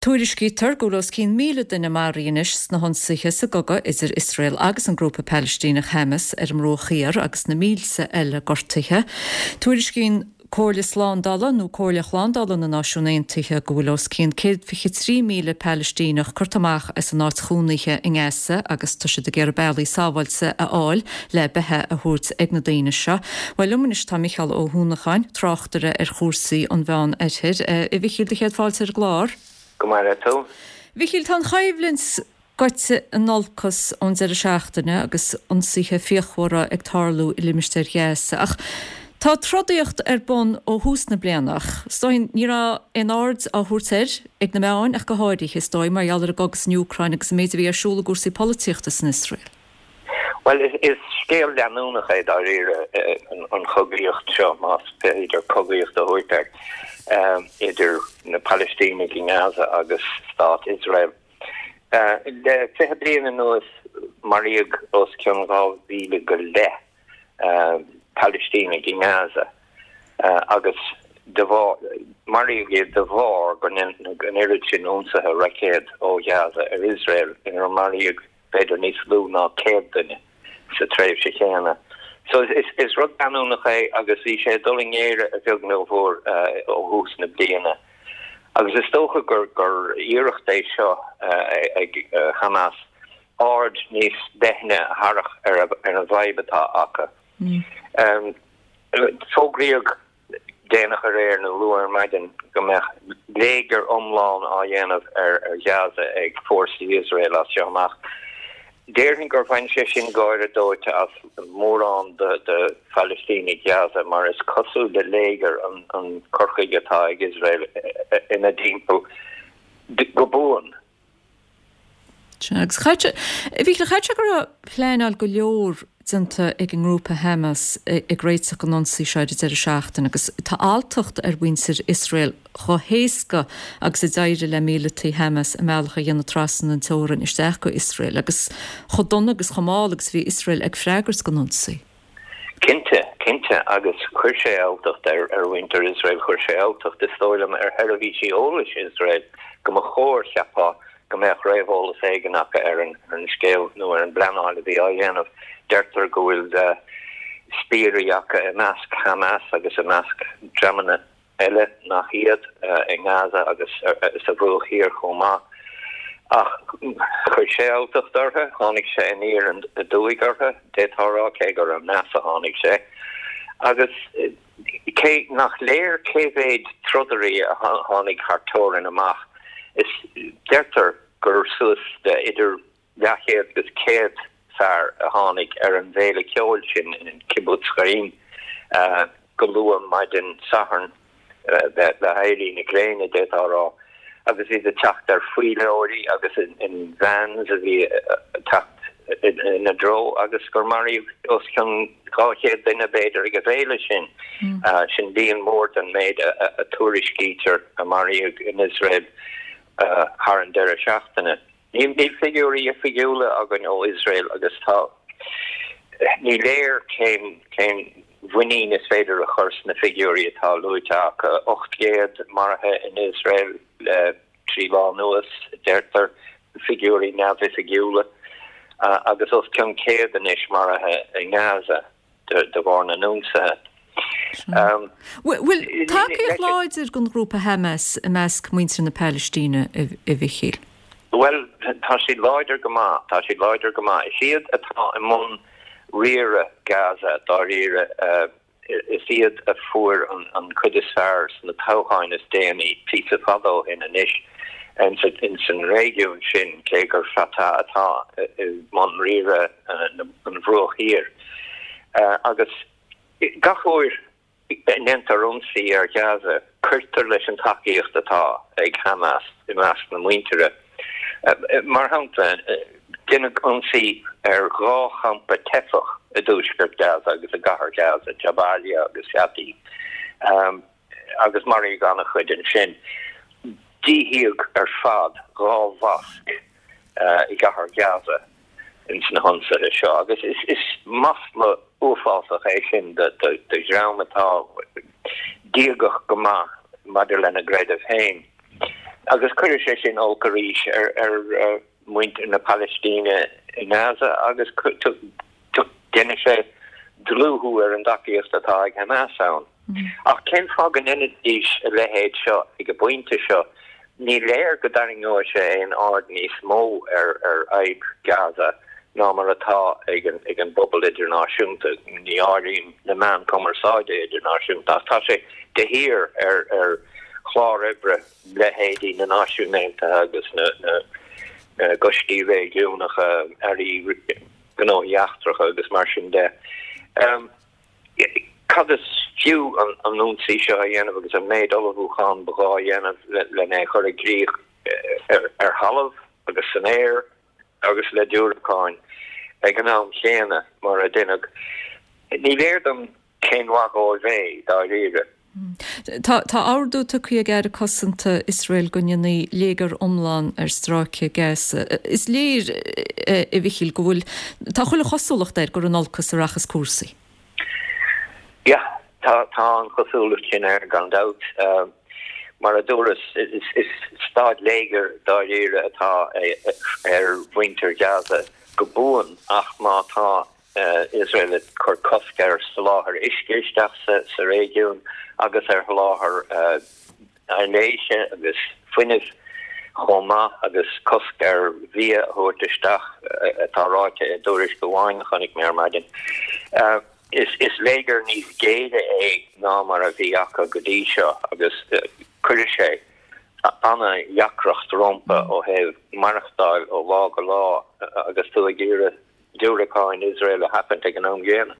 Tuairiscítear go bhfuil os cionn 1,000 duine maraithe anois sna hionsaithe sa gcogadh idir Iosrael agus an grúpa Palaistíneach Hamas ar an mBruach Thiar agus na mílte eile gortaithe. Tuairiscíonn Comhairle Slándála nó Comhairle Shlándála na Náisiún Aontaithe go bhfuil os cionn 123,000 Palaistíneach curtha amach as a n-áit chónaithe i nGaza agus tá siad ag iarraidh bealaí sábháilte a fháil le beatha a thabhairt ag na daoine seo. Bhuel liom anois tá Micheál Ó hUanacháin, tráchtaire ar chúrsaí an Mheán Oirthir. A Mhichíl, do chéad fáilte ar an gclár. Go maire tú. Mhichíl, tá an choimhlint gaibhte in olcas ón deireadh seachtaine agus ionsaithe fíochmhara ag tarlú i limistéar Ghaza. Ach tá trodaíocht ar bun ó thús na bliana ach is dóigh ní raibh aon aird á thabhairt air ag na meáin ach go háirithe, is dóigh, mar gheall ar an gcogadh san Úcráin agus an méid a bhí ar siúl i gcúrsaí polaitíochta san Iosrael. Bhuel, is scéal leanúnach é dáiríre an chogaíocht seo, más féidir cogaíocht a thabhairt air, idir na Palaistínigh i nGaza agus stát Iosrael. Le 20 bliain anuas maraíodh os cionn 2,000 go leith Palaistínigh i nGaza agus de bharr, maraíodh iad de bharr go ndearnadh an oiread sin ionsaithe roicéad ó Ghaza ar Iosrael inar maraíodh b'fhéidir níos lú ná 100 duine sa tréimhse chéanna. So is rud leanúnach é agus bhí sé ag dul i ngéire a bheag nó a mhór ó thús na bliana. Agus is dócha gur gur iarracht é seo ag Hamas aird níos leithne a tharrac ar an bhfadhb atá acu. Fógraíodh déanach aréir nó luath ar maidin go mbeadh léigear iomlán á dhéanamh ar Ghaza ag fórsaí Iosrael as seo amach. Déarfainn gur bhain sé sin gáire dóite as mórán de Phalaistínigh Ghaza mar is cosúil le léigear an cur chuige atá ag Iosrael ina dtimpeall go buan. Sea, agus chaithfeadh sé, a Mhíchíl, chaithfeadh sé go raibh pleanáil go leor déanta ag an ngrúpa Hamas ag réiteach don ionsaí seo ar an deireadh seachtaine agus tá alltacht ar mhuintir Iosrael chomh héasca agus a d'éirigh le míleataigh Hamas a mbealach a dhéanamh trasna an teorainn isteach go Iosrael agus chomh dona agus chomh mall agus a bhí Iosrael ag freagairt don ionsaí. Cinnte, cinnte, agus chuir sé alltacht ar mhuintir Iosrael, chuir sé alltacht, is dóigh liom, ar sheirbhísí eolais Iosrael, go mba chóir, cheapfá, go mbeadh réamheolas éigin acu ar an scéal nó ar an bpleanáil a bhí á dhéanamh. Deirtear go bhfuil spiairí acu i measc Hamas agus i measc dreamanna eile nach iad i nGaza agus sa Bhruach Thiar chomh maith. Ach chuir sé alltacht orthu, tháinig sé aniar aduaidh orthu, d'fhéadfá a rá, cé gur aneas a tháinig sé. Agus cé nach léir cé mhéid trodairí a tháinig thar teorainn amach, is deirtear gur suas le idir leathchéad agus 100 fear a tháinig ar an bhféile ceoil sin in Kibbutz Re'im go luath maidin Sathairn le héirí na gréine, d'fhéadfá a rá, agus iad ag teacht ar faoileoirí agus in vans a bhí ag teacht ina dtreo agus gur maraíodh os cionn 200 duine, b'fhéidir, ag an bhféile sin. Sin líon mór den méid a tuairiscítear a maraíodh in Iosrael thar an deireadh seachtaine. Níl figiúirí oifigiúla againn ó Iosrael agus tá, ní léir cén, cén mhuinín is féidir a chur sna figiúirí atá luaite acu. 800 maraithe in Iosrael le 3 lá anuas, deirtear, figiúirí neamhoifigiúla, agus os cionn 100 anois maraithe i nGaza. de bharr na n-ionsaithe. Bhfuil tacaíocht láidir don ghrúpa Hamas i measc muintir na Palaistíne, a Mhichíl? Bhuel, tá siad láidir go maith, tá siad láidir go maith. Is iad atá i mbun riaradh Gaza, dáiríre. Is iad a fuair an chuid is fearr sna toghcháin is déanaí, píosa fada ó shin anois, ins an réigiún sin, cé gur Fatah atá i mbun riaradh an Bhruach Thiar. Agus gach uair a ndéantar ionsaí ar Ghaza, cuirtear leis an tacaíocht atá ag Hamas i measc na muintire. Mar shampla, deineadh ionsaí ar dhá champa teifeach i dtuaisceart Ghaza agus i gcathair Ghaza, Jabalia agus Shati, agus maraíodh an-chuid ansin. Díothaíodh ar fad dhá mhosc i gcathair Ghaza ins na hionsaithe seo agus is masla uafásach é sin do dhream atá diagach go maith maidir lena gcreideamh féin. Agus cuirfidh sé sin olc arís ar ar mhuintir na Palaistíne i nGaza agus déanfaidh sé dlúthú ar an dtacaíocht atá ag Hamas ann. Ach cén fáth go ndéanfaidís a leithéid seo ag an bpointe seo? Ní léir go dtarraingeoidh sé aon aird níos mó ar fhadhb Gaza ná mar atá ag an bpobal idirnáisiúnta, ní áirím na meáin cumarsáide idirnáisiúnta, ach tá sé de shíor ar chlár oibre leithéidí na Náisiún Aontaithe agus na gcoistí réigiúnacha, airí gnóthaí eachtracha agus mar sin de. Cad is fiú an ionsaí seo a dhéanamh agus an méid ullmhúchán ba ghá a dhéanamh lena chur i gcrích ar thalamh agus san aer agus le diúracáin ag an am chéanna mar a deineadh? Ní léir dom cén mhaith dhóibh é, dáiríre. Tá ordú tugtha ag Aire Cosanta Iosrael go ndéanfaí léigear iomlán ar stráice Gaza. Is léir, a Mhichíl, go bhfuil, tá chuile chosúlacht air gur in olcas a rachas cúrsaí. Yeah, tá, tá an chosúlacht sin air gan dabht. Mar a dúras, is staid léigir dáiríre atá ar mhuintir Gaza go buan ach má tá Iosrael ag cur cosc ar soláthar uisce isteach sa réigiún agus ar sholáthar aibhléise agus fuinnimh chomh maith agus cosc ar bhia a thabhairt isteach, atá ráite i dtuairisc amháin a chonaic mé ar maidin. Is léigear níos géire é ná mar a bhí acu go dtí seo agus cuirfidh sé ana-dheacracht rompu ó thaobh maireachtáil ó lá go lá agus tú ag iarraidh diúracáin Iosrael a sheachaint ag an am gcéanna.